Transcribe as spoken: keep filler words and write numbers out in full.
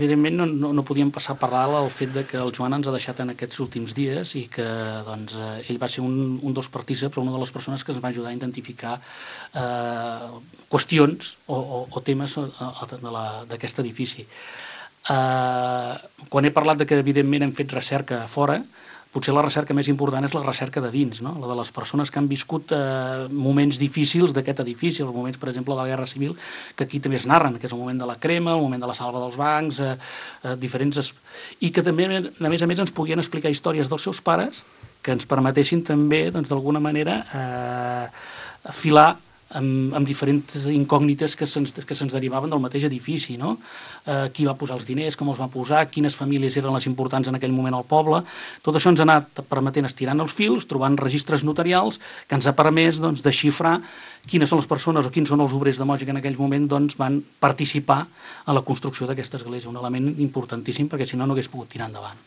Evidentment no, no, no podíem passar per alt el fet de que el Joan ens ha deixat en aquests últims dies i que doncs, eh, ell va ser un, un dels partícips, però una de les persones que ens va ajudar a identificar eh, qüestions o, o, o temes d'aquest edifici. Eh, quan he parlat de que evidentment hem fet recerca a fora, potser la recerca més important és la recerca de dins, no? La de les persones que han viscut eh, moments difícils d'aquest edifici, els moments, per exemple, de la Guerra Civil, que aquí també es narren, que és el moment de la crema, el moment de la salva dels bancs, eh, eh, diferents... Es... i que també, a més a més, ens podien explicar històries dels seus pares que ens permetessin també, doncs, d'alguna manera, eh, afilar amb, amb diferents incògnites que se'ns que se'ns derivaven del mateix edifici, no? Eh, qui va posar els diners, com els va posar, quines famílies eren les importants en aquell moment al poble. Tot això ens ha anat permetent estirant els fils, trobant registres notarials que ens ha permès doncs, desxifrar quines són les persones o quins són els obrers de Moja que en aquell moment doncs, van participar a la construcció d'aquesta església, un element importantíssim perquè si no no hagués pogut tirar endavant.